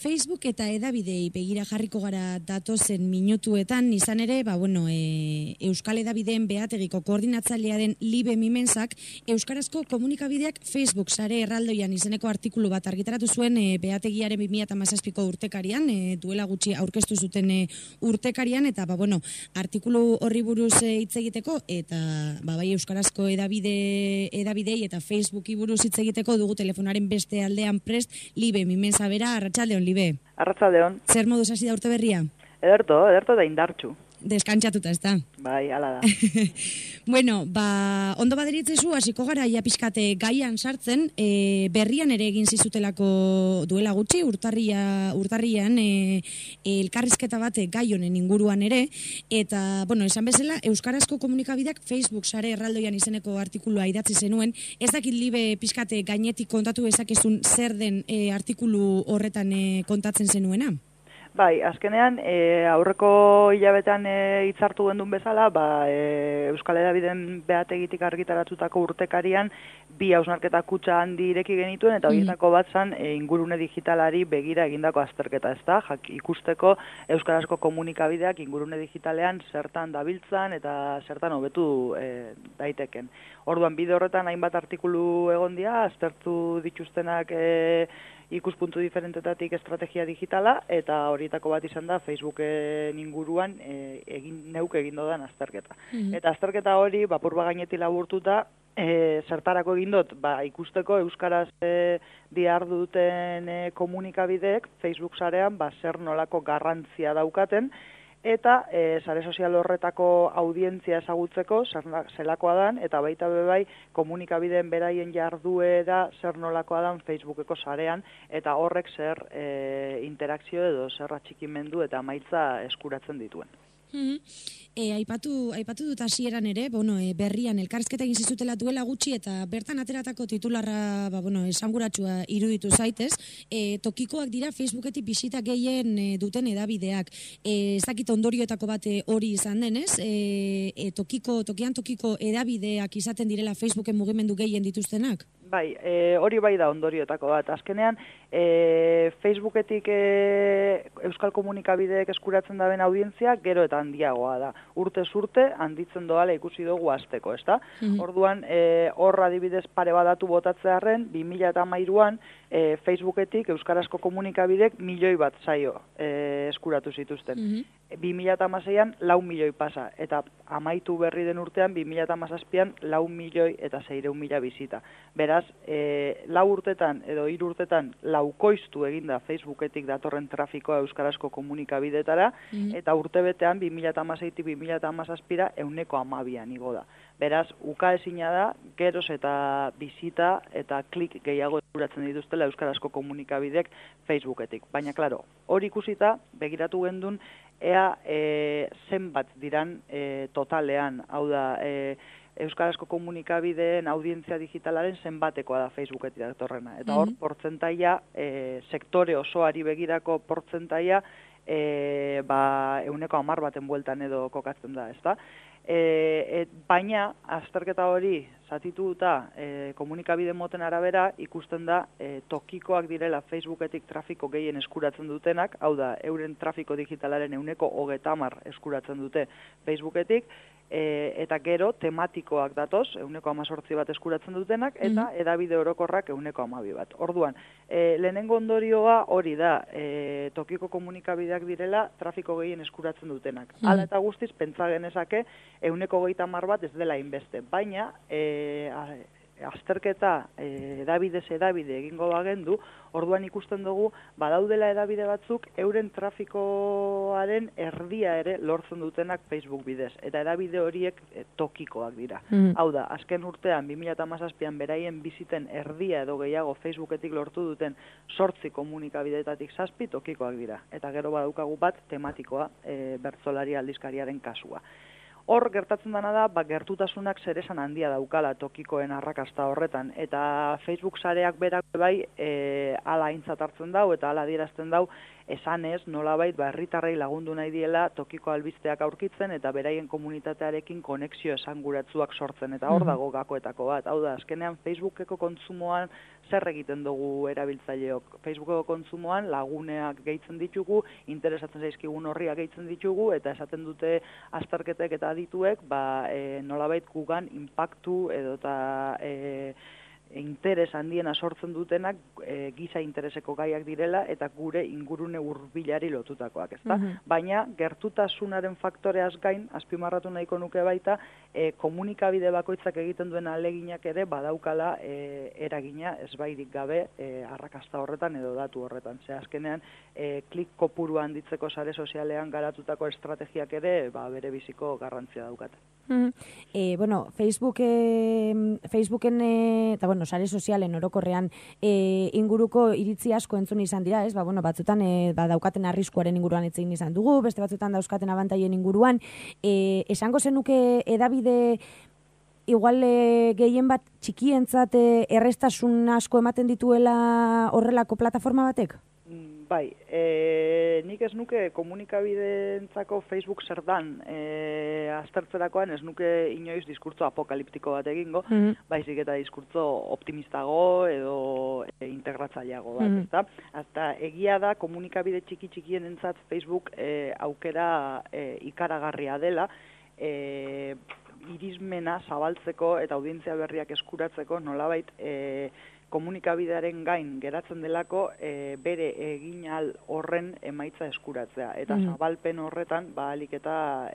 Facebook eta edabidei begira jarriko gara datozen minutuetan, izan ere, Euskal Edabideen Behategiko koordinatzailearen Libe Mimensak, euskarazko komunikabideak Facebook sare erraldoian izeneko artikulu bat argitaratu zuen Behategiaren 2017ko urtekarian, duela gutxi aurkeztu zuten urtekarian, eta artikulu horri buruz hitz egiteko, eta bai euskarazko edabidei eta Facebooki buruz hitz egiteko dugu telefonaren beste aldean prest Libe Mimensa bera. Arratsaldeon, Libe. Arratsaldeon. Zer moduz hasi da urte berria? Ederto da indartsu. Deskantxatuta, ez da? Bai, hala da. Ondo baderitzezu, hasiko gara ia pixkate gaian sartzen, berrian ere egin zizutelako duela gutxi, urtarrian elkarrizketa bat gai honen inguruan ere, eta, esan bezala, euskarazko komunikabideak Facebook sare erraldoian izeneko artikulua idatzi zenuen, ez dakit Libe pixkate gainetik kontatu ezakezun zer den artikulu horretan kontatzen zenuena? Bai, azkenean, aurreko hilabetean hitzartu gendun bezala, Euskal Edabideen Behategitik argitaratutako urtekarian bi hausnarketa kutxa handi ireki genituen, eta horietako bat zan ingurune digitalari begira egindako azterketa, ez da? Ikusteko euskarazko komunikabideak ingurune digitalean zertan dabiltzan eta zertan hobetu daiteken. Orduan, bide horretan hainbat artikulu egon dira, aztertu dituztenak ikuspuntu diferentetatik estrategia digitala, eta horietako bat izan da Facebooken inguruan neuk egin dodan azterketa. Eta azterketa hori, purba gaineti laburtuta, zertarako egin dut, ikusteko euskaraz diharduten komunikabideek Facebook sarean zer nolako garrantzia daukaten, eta sare sozial horretako audientzia ezagutzeko zelakoa dan, eta baita bai komunikabideen beraien jarduera zer nolakoa dan Facebookeko sarean, eta horrek zer interakzio edo zer atxikimendu eta emaitza eskuratzen dituen. Aipatu dut hasieran ere, berrian elkarrizketa egin zizutela duela gutxi, eta bertan ateratako titularra esanguratsua iruditu zaitez, tokikoak dira Facebooketik bisita gehien duten edabideak. Ez dakit ondorioetako bat hori izan denez, tokian tokiko edabideak izaten direla Facebooken mugimendu gehien dituztenak? Bai, hori bai da ondorioetako bat. Azkenean, Facebooketik euskal komunikabideek eskuratzen daben audientzia gero eta handiagoa da. Urtez urte handitzen doala ikusi dugu hasteko, ezta? Orduan, hor adibidez pare badatu botatzearren, 2013an Facebooketik euskarazko komunikabidek 1 milioi bat saio eskuratu zituzten. 2016an 4 milioi pasa, eta amaitu berri den urtean 2017an 4 milioi eta 600.000 bizita. Beraz, 4 urtetan edo 3 urtetan laukoiztu eginda Facebooketik datorren trafikoa euskarazko komunikabidetara, eta urtebetean 2016tik 2017ra 112an igo da. Beraz, ukaezina da, geroz eta bizita eta klik gehiago eskuratzen dituztela euskarazko komunikabidek Facebooketik. Baina, klaro, hori ikusita, begiratu gendun, ea zenbat diran totalean, hau da, euskarazko komunikabideen audientzia digitalaren zenbatekoa da Facebooketik datorrena. Eta hor, portzentaia, sektore osoari begirako portzentaia, 10% baten bueltan edo kokatzen da, ezta? Baina, azterketa hori zatituta komunikabide moten arabera ikusten da tokikoak direla Facebooketik trafiko gehien eskuratzen dutenak, hau da, euren trafiko digitalaren 30% eskuratzen dute Facebooketik, eta gero tematikoak datoz, 18% bat eskuratzen dutenak, eta edabide orokorrak 12% bat. Orduan, lehenengo ondorioa hori da, tokiko komunikabideak direla trafiko gehien eskuratzen dutenak. Hala eta guztiz, pentsa genezake, 30% bat ez dela inbeste, baina azterketa edabide egingo bagendu, orduan ikusten dugu, badaudela edabide batzuk, euren trafikoaren erdia ere lortzen dutenak Facebook bidez, eta edabide horiek tokikoak dira. Hau da, azken urtean, 2017an beraien biziten erdia edo gehiago Facebooketik lortu duten 8 komunikabidetatik 7 tokikoak dira. Eta gero badaukagu bat tematikoa, bertsolari aldizkariaren kasua. Hor gertatzen dena da, gertutasunak zeresan handia daukala tokikoen arrakasta horretan, eta Facebook sareak berak bai hala aintzat hartzen dau eta hala adierazten dau, esanez nolabait herritarrei lagundu nahi diela tokiko albisteak aurkitzen eta beraien komunitatearekin konexio esanguratsuak sortzen, eta hor dago gakoetako bat. Hau da, azkenean Facebookeko kontsumoan zer egiten dugu erabiltzaileok? Facebookeko kontsumoan laguneak gehitzen ditugu, interesatzen zaizkigun horriak gehitzen ditugu, eta esaten dute azterketek eta adituek, nolabait gugan inpaktu edota interes handiena sortzen dutenak giza intereseko gaiak direla eta gure ingurune hurbilari lotutakoak, ezta? Baina gertutasunaren faktoreaz gain, azpimarratu nahiko nuke baita, komunikabide bakoitzak egiten duen ahaleginak ere badaukala eragina ezbairik gabe arrakasta horretan edo datu horretan. Ze azkenean klik kopuru handitzeko sare sozialean garatutako estrategiak ere bere biziko garrantzia daukate. Facebooken eta sare sozialen orokorrean inguruko iritzi asko entzun izan dira, ez? Batzutan daukaten arriskuaren inguruan hitz egin izan dugu, beste batzutan dauzkaten abantailen inguruan. Esango zenuke hedabide igual gehien bat txikientzat errestasun asko ematen dituela horrelako plataforma batek? Bai, nik ez nuke komunikabideentzako Facebook zer dan aztertzerakoan ez nuke inoiz diskurtzo apokaliptiko bat egingo, baizik eta diskurtzo optimistago edo integratzaileago bat, ezta? Hasta egia da komunikabide txikien entzat Facebook aukera ikaragarria dela, irismena zabaltzeko eta audientzia berriak eskuratzeko nolabait komunikabidearen gain geratzen delako bere eginal horren emaitza eskuratzea. Eta zabalpen horretan, ahalik eta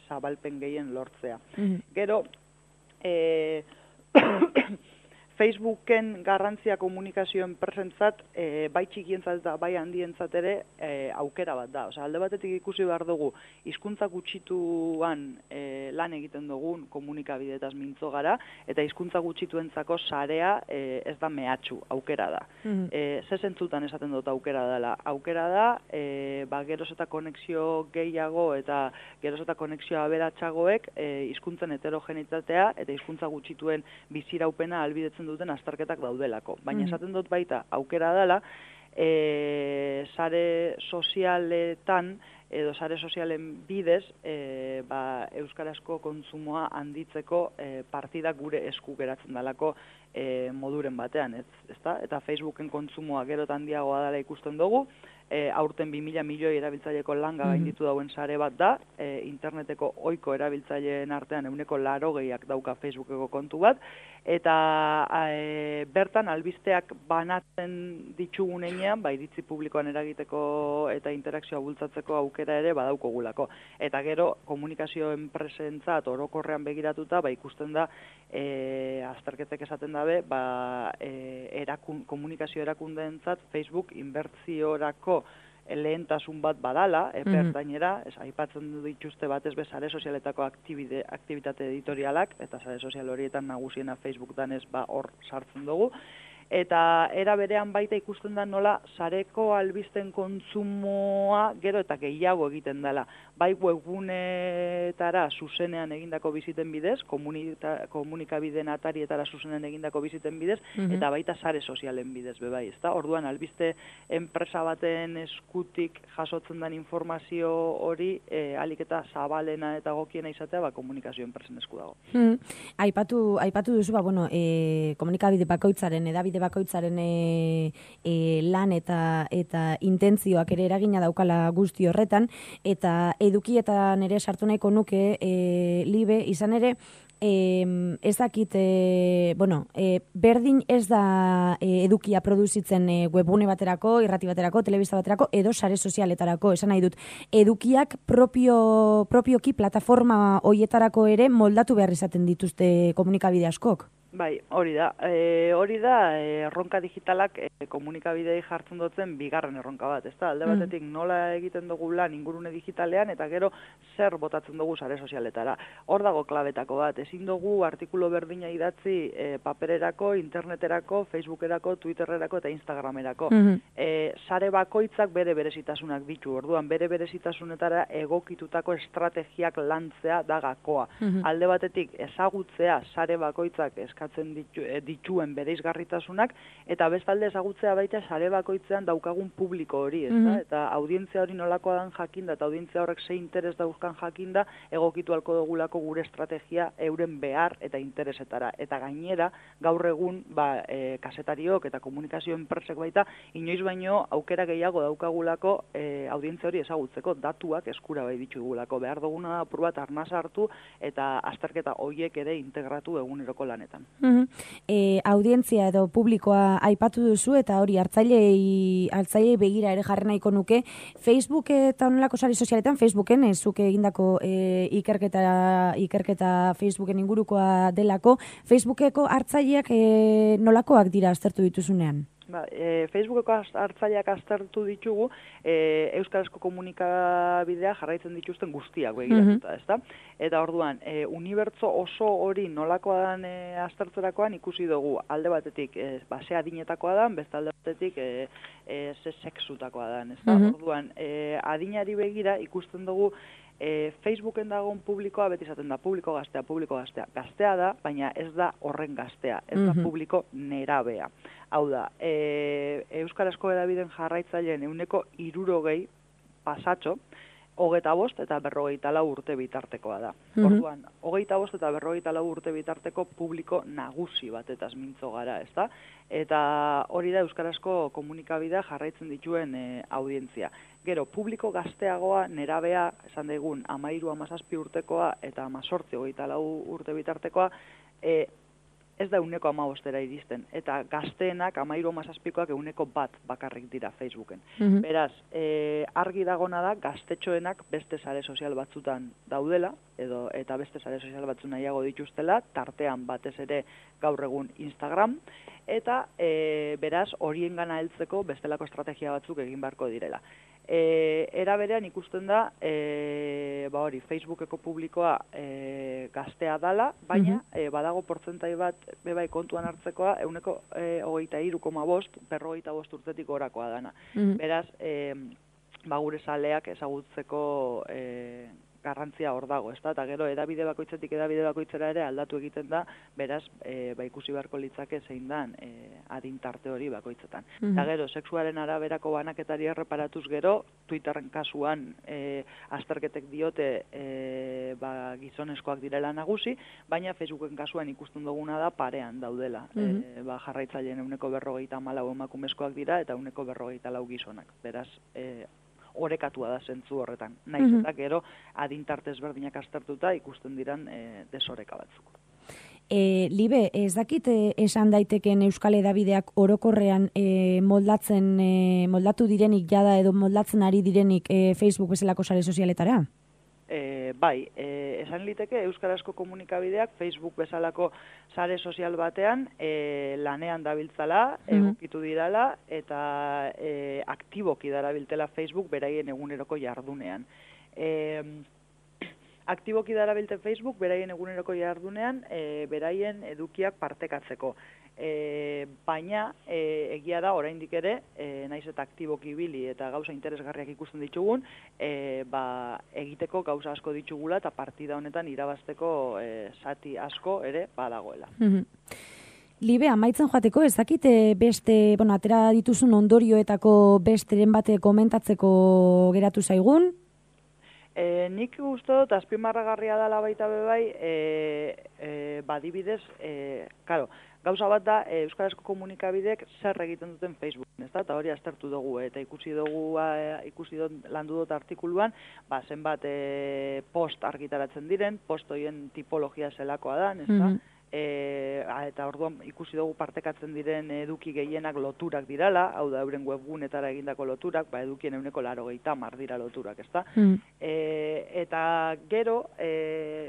zabalpen gehien lortzea. Gero, Facebooken garrantzia komunikazioen presentzat, bai txikientzat eta bai handientzat ere aukera bat da. Alde batetik ikusi behar dugu, hizkuntza gutxituan lan egiten dugun komunikabideetaz mintzo gara, eta hizkuntza gutxituentzako sarea ez da mehatxu, aukera da. Ze zentzutan esaten dut aukera dela? Aukera da, geroz eta konexio gehiago eta geroz eta konexio aberatsagoek hizkuntzen heterogenitatea eta hizkuntza gutxituen biziraupena ahalbidetzen duten azterketak daudelako. Baina esaten dut baita aukera dela, sare sozialetan edo sare sozialen bidez euskarazko kontsumoa handitzeko partida gure esku geratzen dalako moduren batean, ezta? Eta Facebooken kontsumoa gero eta handiagoa dela ikusten dugu, aurten 2000 milioi erabiltzaileko langa gainditu dauen sare bat da, interneteko ohiko erabiltzaileen artean 80%ak dauka Facebookeko kontu bat, eta bertan albisteak banatzen ditugun heinean, iritzi publikoan eragiteko eta interakzioa bultzatzeko aukera ere badaukogulako. Eta gero, komunikazio enpresentzat orokorrean begiratuta, ikusten da, azterketek esaten dabe, komunikazio erakundeentzat Facebook inbertsiorako lehentasun bat badala, bertainera, aipatzen du dituzte batez be sare sozialetako aktibitate editorialak, eta sare sozial horietan nagusiena Facebook danez hor sartzen dugu, eta era berean baita ikusten da nola sareko albisten kontsumoa gero eta gehiago egiten dela. Bai webgunetara zuzenean egindako biziten bidez, komunikabideen atarietara zuzenean egindako biziten bidez, eta baita sare sozialen bidez bebai, ezta? Orduan albiste enpresa baten eskutik jasotzen den informazio hori ahalik eta zabalena eta gokiena izatea komunikazio enpresen esku dago. Aipatu duzu, komunikabide bakoitzaren, edabide bakoitzaren lan eta intentzioak ere eragina daukala guzti horretan, eta edukietan ere sartu nahiko nuke Libe, izan ere ez dakit, berdin ez da edukia produzitzen webgune baterako, irrati baterako, telebista baterako, edo sare sozialetarako, esan nahi dut, edukiak propioki plataforma hoietarako ere moldatu behar izaten dituzte komunikabide askok? Bai, hori da erronka digitalak komunikabidei jartzen dutzen bigarren erronka bat, ezta? Alde batetik nola egiten dugu lan ingurune digitalean eta gero zer botatzen dugu sare sozialetara. Hor dago klabetako bat, ezin dugu artikulu berdina idatzi papererako, interneterako, Facebookerako, Twittererako eta Instagramerako. Sare bakoitzak bere berezitasunak ditu, orduan bere berezitasunetara egokitutako estrategiak lantzea da gakoa. Alde batetik ezagutzea sare bakoitzak eskatzen dituen bereizgarritasunak, eta bestalde ezagutzea baita sare bakoitzean daukagun publiko hori, ezta? Eta audientzia hori nolakoa dan jakinda, eta audientzia horrek ze interes dauzkan jakinda, egokitu alko dugulako gure estrategia euren behar eta interesetara. Eta gainera, gaur egun, kasetariok eta komunikazio enpresek baita, inoiz baino aukera gehiago daukagulako audientzia hori ezagutzeko, datuak eskura bai ditugulako. Behar duguna apur bat arnaz hartu eta azterketa horiek ere integratu eguneroko lanetan. Audientzia edo publikoa aipatu duzu eta hori hartzailei begira ere jarri nahiko nuke. Facebook eta onelako sare sozialetan, Facebooken zuk egindako ikerketa Facebooken ingurukoa delako, Facebookeko hartzaileak nolakoak dira aztertu dituzunean? Facebookeko hartzaileak aztertu ditugu euskarazko komunikabidea jarraitzen dituzten guztiak begiratuta, ezta? Eta orduan, unibertso oso hori nolakoa dan aztertzerakoan ikusi dugu alde batetik ze adinetakoa dan, beste alde batetik ze sexutakoa dan, ezta? Orduan, adinari begira ikusten dugu Facebooken dagoen publikoa beti izaten da publiko gaztea. Gaztea da, baina ez da horren gaztea, ez da publiko nerabea. Hau da, euskarazko hedabideen jarraitzaileen 60% pasatxo, 25 eta 54 urte bitartekoa da. Orduan, 25 eta 54 urte bitarteko publiko nagusi batetaz mintzo gara, ezta? Eta hori da euskarazko komunikabidea jarraitzen dituen audientzia. Gero, publiko gazteagoa, nerabea, esan daigun, 13-17 urtekoa eta 18-24 urte bitartekoa, ez da 15%era iristen. Eta gazteenak, 13-17koak 1% bakarrik dira Facebooken. Beraz, argi dagona da, gaztetxoenak beste sare sozial batzutan daudela, eta beste sare sozial batzu nahiago dituztela, tartean batez ere gaur egun Instagram, eta beraz, horien gana heltzeko bestelako estrategia batzuk egin beharko direla. Era berean ikusten da, Facebookeko publikoa gaztea dala, baina badago portzentai bat bebai kontuan hartzekoa 23,5, 55 urtetik orakoa dana. Beraz, gure saleak ezagutzeko garrantzia hor dago, ezta? Eta gero edabide bakoitzetik edabide bakoitzera ere aldatu egiten da, beraz, ikusi beharko litzake zein dan adin tarte hori bakoitzetan. Eta gero, sexuaren araberako banaketari erreparatuz gero, Twitterren kasuan azterketek diote gizonezkoak direla nagusi, baina Facebooken kasuan ikusten duguna da parean daudela. Jarraitzaileen 44% emakumezkoak dira eta 44% gizonak. Beraz, orekatua da zentzu horretan. Naiz eta gero adintarte ezberdinak aztertuta ikusten diran desoreka batzuk. Libe, ez dakit esan daiteken euskal edabideak orokorrean moldatu direnik jada edo moldatzen ari direnik Facebook bezalako sare sozialetara? Bai, esan liteke euskarazko komunikabideak Facebook bezalako sare sozial batean lanean dabiltzala, egokitu dirala eta aktiboki darabiltela Facebook beraien eguneroko jardunean. Aktiboki darabilte Facebook beraien eguneroko jardunean beraien edukiak partekatzeko. Baina egia da oraindik ere, naiz eta aktiboki ibili eta gauza interesgarriak ikusten ditugun, egiteko gauza asko ditugula eta partida honetan irabazteko zati asko ere badagoela. Libe, amaitzen joateko, ez dakit beste, atera dituzun ondorioetako besteren bate komentatzeko geratu zaigun? Nik uste dut azpimarragarria dela baita bebai, badibidez, gauza bat da euskarazko komunikabideek zer egiten duten Facebooken, ezta? Eta hori aztertu dugu eta ikusi landu dut artikuluan, zenbat post argitaratzen diren, post horien tipologia zelakoa da, ezta? eta orduan ikusi dugu partekatzen diren eduki gehienak loturak dirala, hau da euren webgunetara egindako loturak, edukien 90% dira loturak, ezta? Eta gero,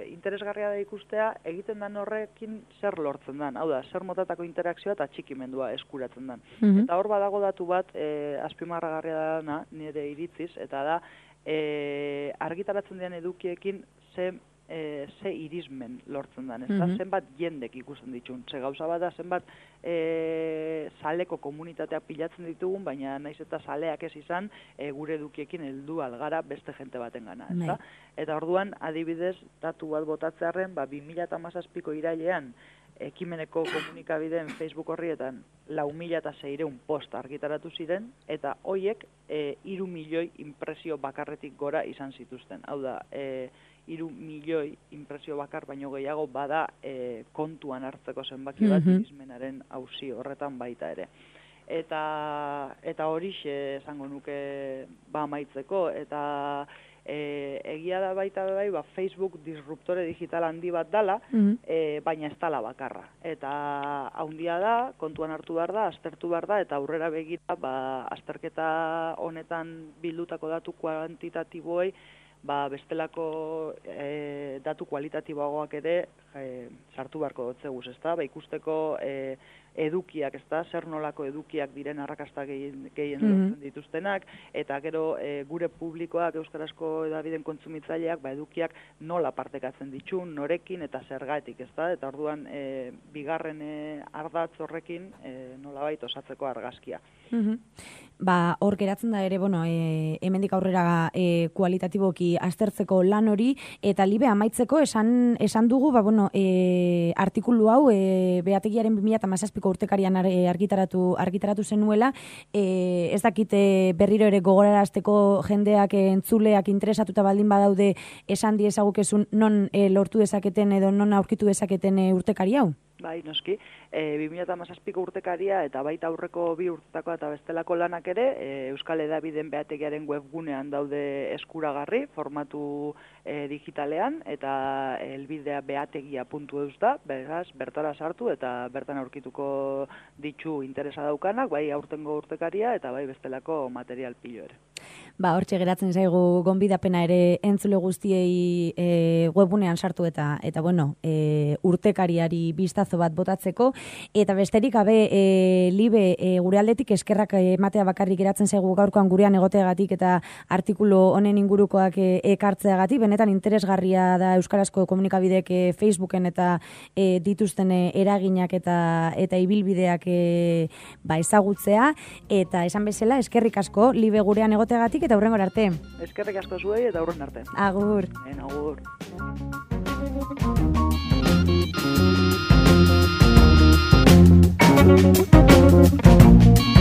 interesgarria da ikustea, egiten den horrekin zer lortzen den, hau da, zer motatako interakzioa eta txikimendua eskuratzen den. Eta hor badago datu bat, azpimarragarria dana, nire iritziz, eta da, argitaratzen diren edukiekin ze irismen lortzen den, ezta? Zenbat jendek ikusten ditun. Ze gauza bat da, zenbat saleko komunitatea pilatzen ditugun, baina naiz eta saleak ez izan, gure edukiekin heldu algara beste jente baten gana, ezta? Eta orduan, adibidez, datu bat botatzearren, 2017ko irailean, ekimeneko komunikabideen Facebook horrietan 4.600 post argitaratu ziren, eta hoiek 3 milioi impresio bakarretik gora izan zituzten. Hau da, 3 milioi impresio bakar baino gehiago bada kontuan hartzeko zenbaki bat irismenaren auzi horretan baita ere. Eta horixe esango nuke amaitzeko, eta egia da baita bai, Facebook disruptore digital handi bat dala, baina ez dala bakarra. Eta handia da, kontuan hartu behar da, aztertu behar da, eta aurrera begira, azterketa honetan bildutako datu kuantitatiboei, bestelako datu kualitatiboagoak ere sartu beharko dotzeguz, ezta? Ikusteko edukiak, ezta? Zer nolako edukiak diren arrakasta gehien lortzen dituztenak, eta gero gure publikoak, euskarazko hedabideen kontsumitzaileak, edukiak nola partekatzen ditun, norekin eta zergatik, ezta? Eta orduan bigarren ardatz horrekin nolabait osatzeko argazkia. Hor geratzen da ere, hemendik aurrera kualitatiboki aztertzeko lan hori, eta libe amaitzeko esan dugu, artikulu hau Beategiaren 2017ko urtekarian argitaratu zenuela, ez dakit berriro ere gogorarazteko jendeak entzuleak interesatuta baldin badaude esan diezagukezun non lortu dezaketen edo non aurkitu dezaketen urtekari hau? Bai, noski, 2017ko urtekaria eta baita aurreko 2 urtetako eta bestelako lanak ere, Euskal Hedabideen Beategiaren webgunean daude eskuragarri, formatu digitalean, eta helbidea beategia.eus da, beraz, bertara sartu eta bertan aurkituko ditu interesa daukanak, bai aurtengo urtekaria eta bai bestelako material pilo ere. Hortxe geratzen zaigu gonbidapena ere entzule guztiei webgunean sartu eta urtekariari bistazo bat botatzeko, eta besterik gabe libe gure aldetik eskerrak ematea bakarrik geratzen zaigu gaurkoan gurean egoteagatik eta artikulu honen ingurukoak ekartzeagatik, benetan interesgarria da euskarazko komunikabideek Facebooken eta dituzten eraginak eta ibilbideak ezagutzea, eta esan bezala eskerrik asko libe gurean egoteagatik eta hurrengora arte. Eskerrik asko zuei eta hurren arte. Agur. Agur. Thank you.